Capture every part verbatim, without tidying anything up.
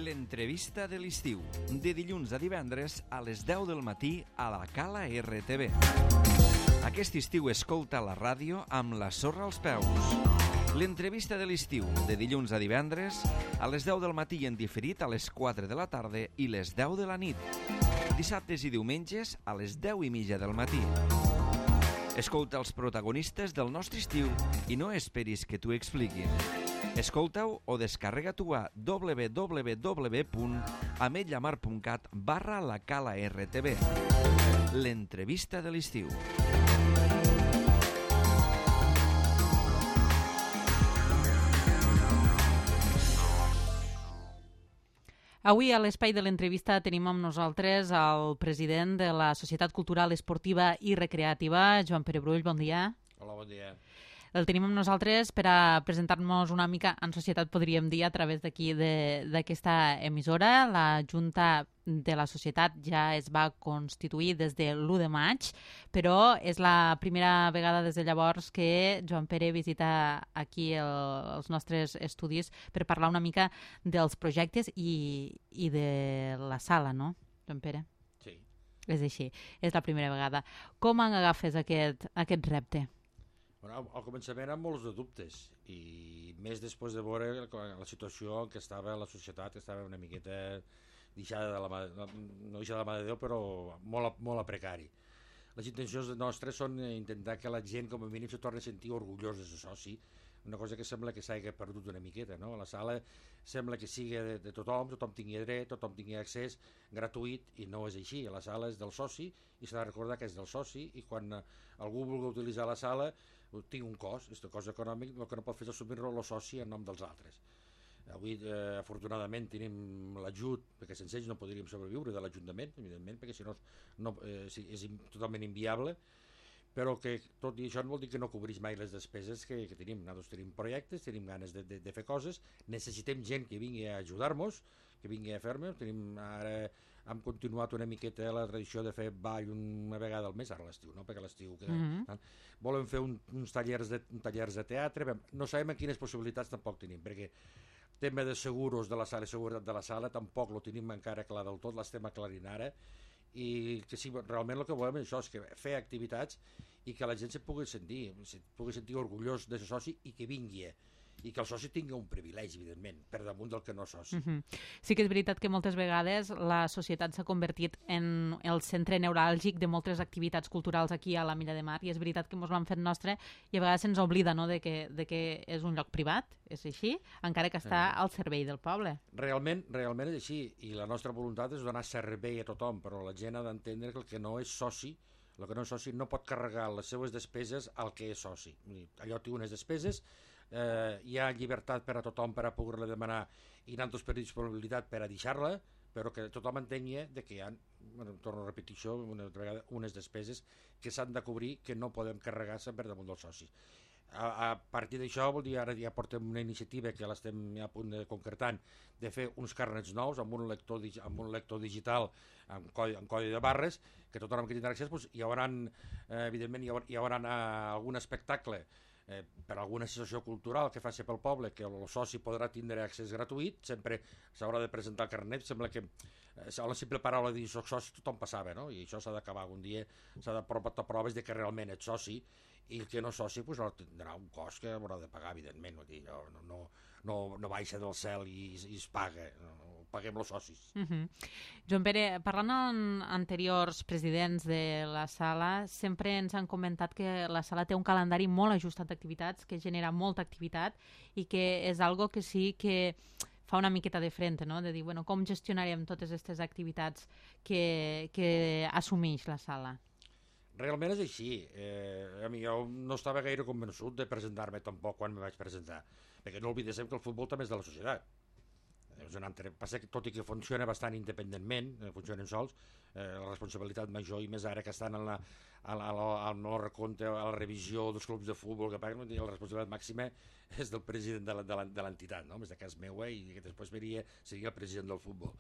L'entrevista de l'estiu, de dilluns a divendres a les deu del matí a la Cala R T V. Aquest estiu escolta la ràdio amb la sorra als peus. L'entrevista de l'estiu, de dilluns a divendres a les deu del matí en diferit a les quatre de la tarda i les deu de la nit. Dissabtes i diumenges a les deu i mitja del matí. Escolta els protagonistes del nostre estiu i no esperis que t'ho expliquin. Escolta-ho o descarrega-t'ho a w w w punt ametlllamar punt cat barra la Cala R T V. L'entrevista de l'estiu. Avui a l'espai de l'entrevista tenim amb nosaltres el president de la Societat Cultural, Esportiva i Recreativa, Joan Pere Brull, bon dia. Hola, bon dia. El tenim amb nosaltres per a presentar-nos una mica en societat, podríem dir, a través d'aquí d'aquesta emissora. La Junta de la Societat ja es va constituir des de l'u de maig, però és la primera vegada des de llavors que Joan Pere visita aquí el, els nostres estudis per parlar una mica dels projectes i, i de la sala, no, Joan Pere? Sí. És així, és la primera vegada. Com agafes aquest, aquest repte? Bueno, al començament amb molts de dubtes i més després de veure la situació en què estava la societat, que estava una miqueta deixada de la mà, no deixada de la mà de Déu, però molt, molt a precari. Les intencions nostres són intentar que la gent com a mínim se torni a sentir orgullós de ser soci, una cosa que sembla que s'hagi perdut una miqueta, no? La sala sembla que sigui de, de tothom, tothom tingui dret, tothom tingui accés gratuït, i no és així. La sala és del soci i s'ha de recordar que és del soci, i quan algú vulgui utilitzar la sala tinc un cost, és un cost econòmic, el que no pot fer és assumir-lo el soci en nom dels altres. Avui, eh, afortunadament, tenim l'ajut, perquè sense ells no podríem sobreviure de l'Ajuntament, evidentment, perquè si no, no eh, és totalment inviable, però que tot i això no vol dir que no cobrís mai les despeses que, que tenim. Nosaltres tenim projectes, tenim ganes de, de, de fer coses, necessitem gent que vingui a ajudar-nos, que vingui a fer-me. Tenim ara hem continuat una miqueta la tradició de fer ball una vegada al mes, ara l'estiu, no? Perquè l'estiu queda... Mm-hmm. Volem fer un, uns tallers de, un tallers de teatre, no sabem quines possibilitats tampoc tenim, perquè tema de seguros de la sala i seguretat de la sala tampoc lo tenim encara clar del tot, l'estem aclarint ara, i que sí, realment el que volem és això, és que fer activitats i que la gent se pugui sentir, se pugui sentir orgullós de ser soci i que vingui, i que el soci tingui un privilegi, evidentment, per damunt del que no és soci. Mm-hmm. Sí que és veritat que moltes vegades la societat s'ha convertit en el centre neuràlgic de moltes activitats culturals aquí a la Milla de Mar, i és veritat que ens l'han fet nostre i a vegades se'ns oblida, no?, de que, de que és un lloc privat, és així, encara que està al servei del poble. Realment, realment és així, i la nostra voluntat és donar servei a tothom, però la gent ha d'entendre que el que no és soci, el que no és soci no pot carregar les seues despeses al que és soci. Allò té unes despeses, eh, hi ha llibertat per a tothom per a poder-la demanar i nosaltres per disponibilitat per a deixar-la, però que tothom entengui que hi ha, bueno, torno a repetir això una altra vegada, unes despeses que s'han de cobrir, que no podem carregar-se per damunt dels socis. A, a partir d'això, vol dir, ara ja portem una iniciativa que l'estem a punt de concretant, de fer uns carnets nous amb un lector, amb un lector digital amb codi, amb codi de barres, que tothom que tindrà accés, doncs, hi haurà, eh, evidentment, hi haurà, hi haurà eh, algun espectacle eh, per alguna associació cultural que faci pel poble, que el soci podrà tindre accés gratuït, sempre s'haurà de presentar el carnet, sembla que eh, a la simple paraula de dir soc soci tothom passava, no? I això s'ha d'acabar algun dia, s'ha de portar proves de que realment ets soci, i el que no és soci pues, tindrà un cost que haurà de pagar, evidentment, vull dir, no, no, no, no baixa del cel i, i es paga, no, paguem els socis. Uh-huh. Joan Pere, parlant amb anteriors presidents de la sala, sempre ens han comentat que la sala té un calendari molt ajustat d'activitats, que genera molta activitat i que és algo que sí que fa una miqueta de frente, no? De dir, bueno, com gestionarem totes aquestes activitats que, que assumeix la sala? Realment és així. Eh, a mi jo no estava gaire convençut de presentar-me tampoc quan me vaig presentar, perquè no oblidem que el futbol també és de la societat. És un altre, passa que tot i que funciona bastant independentment, funcionen sols, eh, la responsabilitat major i més ara que estan en la, a la, a la, al no recompte, a la revisió dels clubs de futbol que paguen, la responsabilitat màxima és del president de l'entitat, no? Més de cas meua, i que després venia, seria el president del futbol.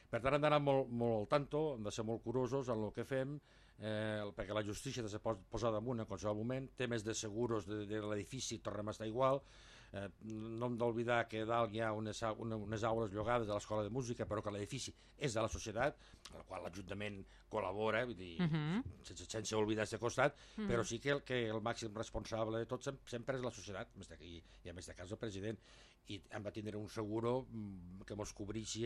Per tant, hem d'anar molt, molt al tanto, hem de ser molt curosos en el que fem, eh, perquè la justícia ha de ser posada damunt en qualsevol moment, temes de seguros de, de l'edifici tornem a estar igual, Eh, no hem d'oblidar que dalt hi ha unes, una, unes aules llogades de l'Escola de Música, però que l'edifici és de la societat, amb la qual l'Ajuntament col·labora, vull dir, uh -huh. sense, sense oblidar aquest costat, uh -huh. però sí que el, que el màxim responsable de tot sempre és la societat, i, i en aquest cas el president, i hem de tindre un seguro que mos cobrixi,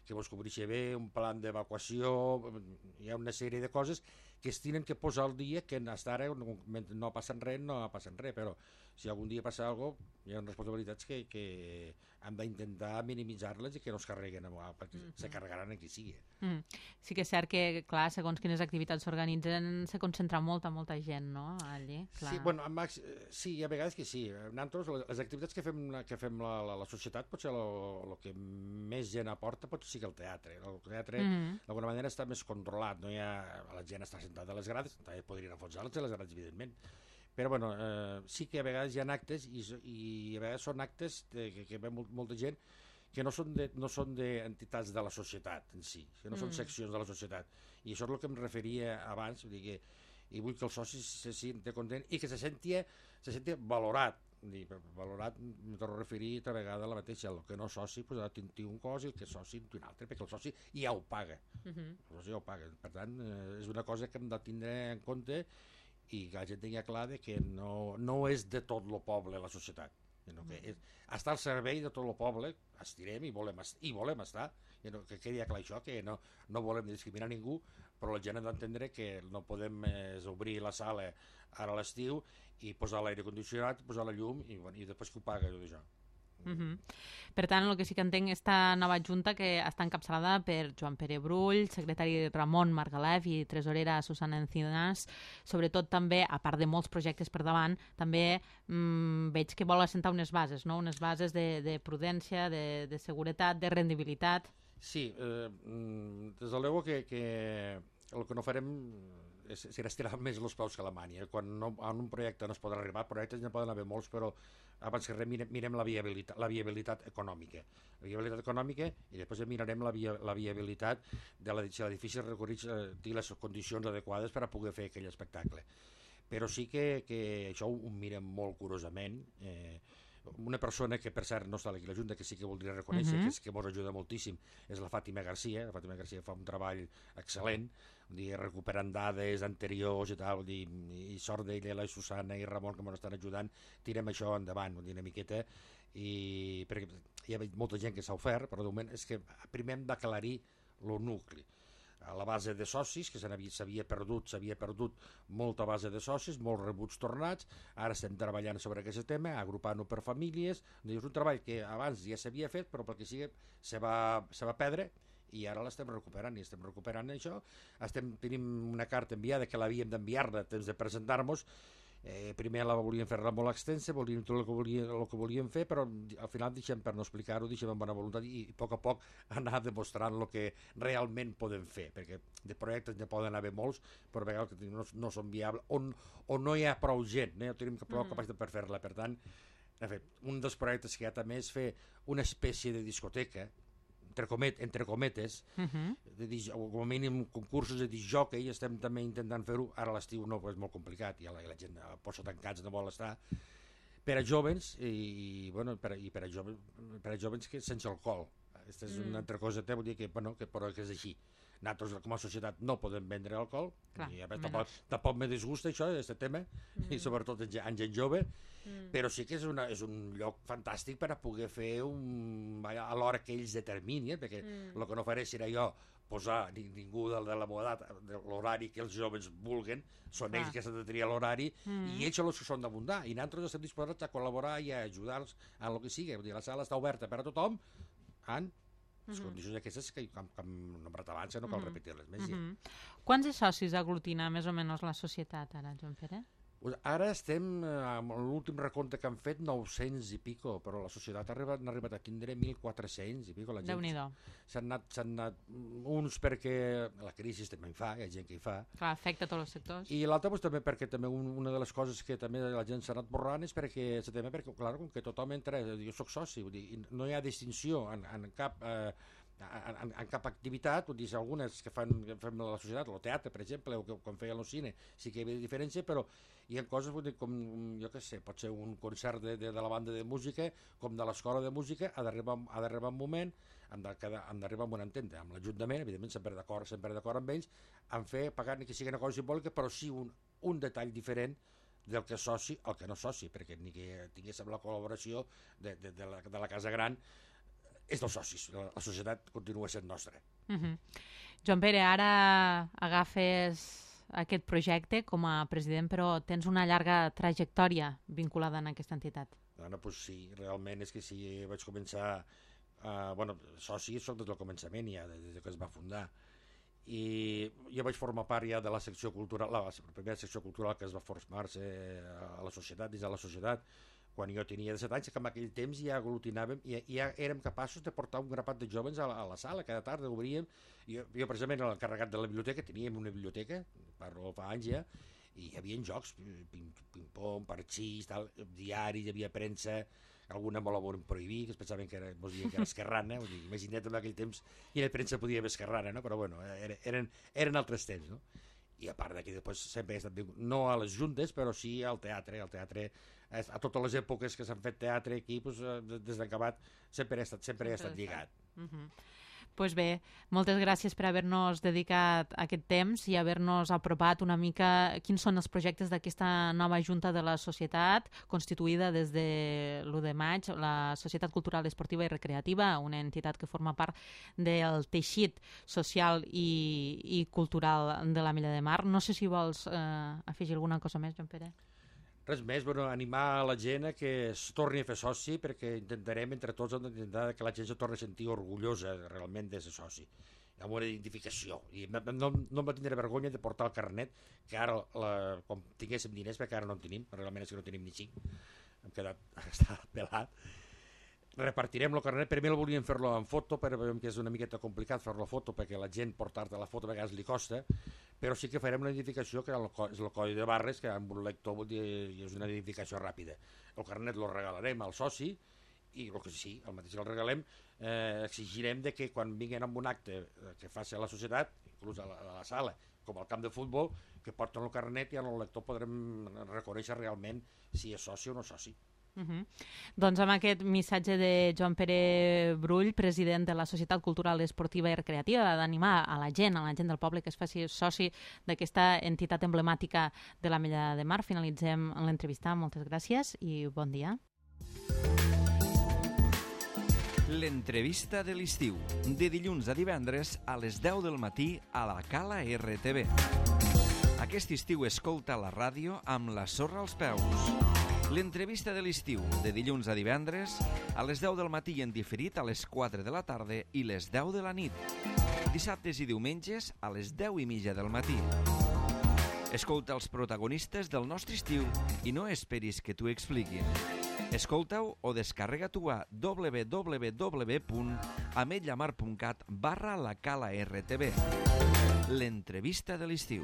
que mos cobrixi bé, un plan d'evacuació, hi ha una sèrie de coses que es tenen que posar al dia, que fins ara no, no passen res, no passen res, però si algun dia passa alguna cosa, hi ha responsabilitats que, que hem d'intentar minimitzar-les i que no es carreguen, perquè mm -hmm. se carregaran en qui sigui. Mm. Sí que és cert que, clar, segons quines activitats s'organitzen, se concentra molta, molta gent, no?, allí. Clar. Sí, bueno, Max, sí, hi ha vegades que sí. Nosaltres, les activitats que fem, que fem la, la, la societat, potser el que més gent aporta pot ser que el teatre. El teatre, mm -hmm. d'alguna manera, està més controlat, no hi ha... La gent està sentada a les grades, també podrien enfonsar-les a les grades, evidentment, però bueno, eh, sí que a vegades hi ha actes i, i a vegades són actes de, que, que ve molt, molta gent que no són, de, no són d'entitats de la societat en si, que no mm. són seccions de la societat, i això és el que em referia abans, vull dir que, i vull que els socis se senti content i que se sentia, se sentia valorat. Dir, valorat, em torno a referir altra vegada a la mateixa, el que no és soci pues, ha de tenir un cos i el que és soci un altre, perquè el soci ja ho paga, uh -huh. el soci ja ho paga, per tant eh, és una cosa que hem de tindre en compte i que la gent tingui clar de que no, no és de tot el poble la societat, sinó que és, està al servei de tot el poble, estirem i volem, i volem estar, que quedi clar això, que no, no volem discriminar ningú, però la gent ha d'entendre que no podem eh, obrir la sala ara a l'estiu i posar l'aire condicionat, posar la llum i, bueno, i després que ho paga tot això. Uh -huh. Per tant, el que sí que entenc, esta nova junta que està encapçalada per Joan Pere Brull, secretari Ramon Margalef i tresorera Susana Encinas, sobretot també, a part de molts projectes per davant, també mmm, veig que vol assentar unes bases, no? Unes bases de, de prudència, de, de seguretat, de rendibilitat. Sí, eh, des de luego que, que el que no farem és, serà estirar més els peus que la mània. Quan no, en un projecte no es podrà arribar, projectes ne poden haver molts, però abans que res mirem, mirem la, viabilitat, la viabilitat econòmica. La viabilitat econòmica i després mirarem la, via, la viabilitat de l'edifici recorrits eh, i les condicions adequades per a poder fer aquell espectacle. Però sí que, que això ho, ho mirem molt curosament. Eh, una persona que per cert no està aquí a la Junta, que sí que voldria reconèixer, uh -huh. que, és, que ens ajuda moltíssim, és la Fàtima Garcia. La Fàtima Garcia fa un treball excel·lent, dir, recuperant dades anteriors i tal, dir, i sort d'ella, la Susana i Ramon que ens estan ajudant, tirem això endavant una miqueta, i perquè hi ha molta gent que s'ha ofert, però de moment és que primer hem d'aclarir el nucli. A la base de socis, que s'havia perdut, s'havia perdut molta base de socis, molts rebuts tornats, ara estem treballant sobre aquest tema, agrupant-ho per famílies, és un treball que abans ja s'havia fet, però pel que sigui se va, se va perdre, i ara l'estem recuperant, i estem recuperant això. Estem, tenim una carta enviada que l'havíem d'enviar-la temps de presentar-nos. Eh, primer la volíem fer molt extensa, volíem tot el que, volíem, el que volíem fer, però al final deixem per no explicar-ho, deixem amb bona voluntat i, i a poc a poc anar demostrant el que realment podem fer, perquè de projectes ne poden haver molts, però a vegades no, no són viables, on, on no hi ha prou gent, no tenim prou mm. capacitat per fer-la. Per tant, en fi, un dels projectes que hi ha també és fer una espècie de discoteca, entre, comet, entre cometes, uh -huh. de, o com a mínim concursos de discjòquei, estem també intentant fer-ho. Ara l'estiu no, és molt complicat, i la, i la gent a posa tancats no vol estar, per a jóvens i, bueno, per, a, i per, a jóvens, per a jóvens que sense alcohol. Aquesta és mm. una altra cosa, vull dir que, bueno, que, però que és així. Nosaltres, com a societat, no podem vendre alcohol. Clar, i, a veure, tampoc, tampoc me disgusta això, aquest tema, mm. i sobretot en, en gent jove, mm. però sí que és, una, és un lloc fantàstic per a poder fer un, a l'hora que ells determinin, perquè mm. el que no faré serà jo posar ningú de, de la meva edat, de l'horari que els joves vulguen, són ah. ells que s'han de triar l'horari, mm. i ells són els que són d'abundar, i nosaltres estem disposats a col·laborar i a ajudar-los en el que sigui. Vull dir, la sala està oberta per a tothom, en les uh-huh. condicions aquestes que, com, com hem nombrat abans, no cal uh-huh. repetir-les més. Uh-huh. Ja. Quants de socis aglutina més o menys la societat ara, Joan Pere? Pues ara estem, amb l'últim recompte que han fet, nou-cents i pico, però la societat ha arribat, ha arribat a tindre mil quatre-cents i pico. La gent Déu-n'hi-do. S'han anat, s'han anat uns perquè la crisi també en fa, hi ha gent que hi fa. Clar, afecta tots els sectors. I l'altre pues, també perquè també un, una de les coses que també la gent s'ha anat borrant és perquè, també perquè clar, com que tothom entra, jo soc soci, vull dir, no hi ha distinció en, en cap... Eh, en, en, en cap activitat, vull dir, algunes que fan, que fem a la societat, el teatre, per exemple, o que quan feien el cine, sí que hi havia diferència, però hi ha coses, vull dir, com, jo què sé, pot ser un concert de, de, de la banda de música, com de l'escola de música, ha d'arribar ha d'arribar un moment, hem d'arribar amb una entente, amb l'Ajuntament, evidentment, sempre d'acord sempre d'acord amb ells, en fer, pagar ni que sigui una cosa simbòlica, però sí un, un detall diferent del que és soci al que no és soci, perquè ni que tinguéssim la col·laboració de, de, de, la, de la Casa Gran, és dels socis, la, la societat continua sent nostra. Uh-huh. Joan Pere, ara agafes aquest projecte com a president, però tens una llarga trajectòria vinculada en aquesta entitat. Bueno, doncs sí, realment és que sí, vaig començar, uh, bueno, soci soc des del començament ja, des que es va fundar, i jo vaig formar part ja de la secció cultural, la, la primera secció cultural que es va formar-se a la societat, dins de la societat, quan jo tenia disset anys, que en aquell temps ja aglutinàvem i ja érem capaços de portar un grapat de jovens a la, a la sala, cada tarda obríem, jo, jo precisament era l'encarregat de la biblioteca, teníem una biblioteca, parlo fa anys ja, i hi havia jocs, ping-pong, parxís, tal, diaris, hi havia premsa, alguna me la volen prohibir, que es pensaven que era, mos diuen que era esquerrana, vull dir, imagina't en aquell temps quina premsa podia haver esquerrana, no? Però bueno, eren, eren altres temps, no? I a part d'aquí després sempre he estat, no a les juntes, però sí al teatre, al teatre, a totes les èpoques que s'han fet teatre aquí, doncs, des d'acabat, sempre he estat, sempre he estat lligat. Uh -huh. Pues bé, moltes gràcies per haver-nos dedicat aquest temps i haver-nos apropat una mica quins són els projectes d'aquesta nova Junta de la Societat, constituïda des de l'u de maig, la Societat Cultural, Esportiva i Recreativa, una entitat que forma part del teixit social i, i cultural de l'Ametlla de Mar. No sé si vols eh, afegir alguna cosa més, Joan Pere. Res més, bueno, animar la gent a que es torni a fer soci, perquè intentarem entre tots intentar que la gent se torni a sentir orgullosa realment de ser soci, amb una identificació, i no, no, no em va tindre vergonya de portar el carnet, que ara la, com tinguéssim diners, perquè ara no en tenim, realment és que no tenim ni cinc, hem quedat, està pelat. Repartirem el carnet, per mi el volíem fer-lo en foto, però veiem que és una miqueta complicat fer-lo foto, perquè la gent portar-te la foto a vegades li costa, però sí que farem una identificació que és el codi de barres, que amb un lector vol dir, és una identificació ràpida. El carnet el regalarem al soci, i el que sí, el mateix que el regalem, eh, exigirem de que quan vinguin amb un acte que faci a la societat, inclús a la, a la sala, com al camp de futbol, que porten el carnet i en el lector podrem reconèixer realment si és soci o no és soci. Uh -huh. Doncs amb aquest missatge de Joan Pere Brull, president de la Societat Cultural, Esportiva i Recreativa, d'animar a la gent, a la gent del poble que es faci soci d'aquesta entitat emblemàtica de l'Ametlla de Mar, finalitzem l'entrevista. Moltes gràcies i bon dia. L'entrevista de l'estiu, de dilluns a divendres a les deu del matí a la Cala R T V. Aquest estiu escolta la ràdio amb la sorra als peus. L'entrevista de l'estiu, de dilluns a divendres, a les deu del matí en diferit a les quatre de la tarda i les deu de la nit. Dissabtes i diumenges a les deu i mitja del matí. Escolta els protagonistes del nostre estiu i no esperis que t'ho expliquin. Escolta-ho o descarrega-t'ho a w w w punt ametlla mar punt cat barra la cala R T V. L'entrevista de l'estiu.